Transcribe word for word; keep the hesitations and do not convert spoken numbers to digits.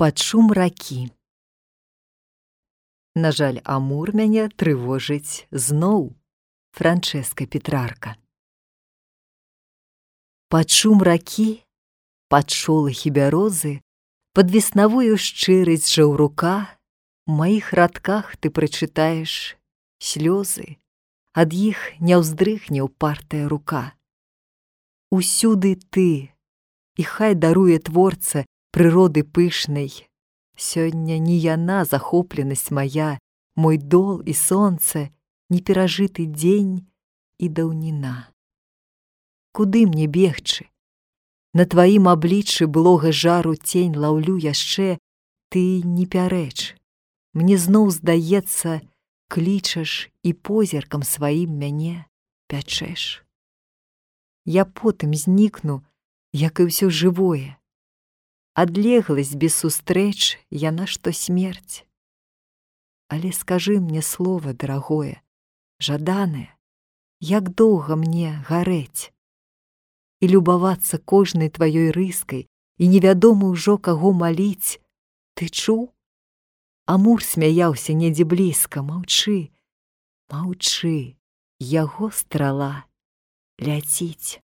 Пад шум ракі. На жаль, Амур мяне трывожыць зноў. Франчэска Петрарка. Пад шум ракі, пад шолахі бярозы, пад веснавую шчырасць жаўрука, у маіх радках ты прачытаеш слёзы, ад іх не ўздрыхне ўпартая рука. Усюды ты, і хай даруе творца прыроды пышнай. Сёння не яна захопленасць мая, мой дол і сонце, неперажыты дзень і даўніна. Куды мне бегчы? На тваім абліччы блога жару цень лаўлю яшчэ, ты не пярэч. Мне зноў здаецца, клічаш і позіркам сваім мяне пячэш. Я потым знікну, як і ўсё жывое. Адлегласць без сустрэч, яна што смерць. Але скажы мне слова, дарагое, жаданае, як доўга мне гарэць і любавацца кожнай тваёй рыскай, і невядома ўжо каго маліць. Ты чуў? Амур смяяўся недзе блізка. Маўчы, маўчы, яго страла ляціць.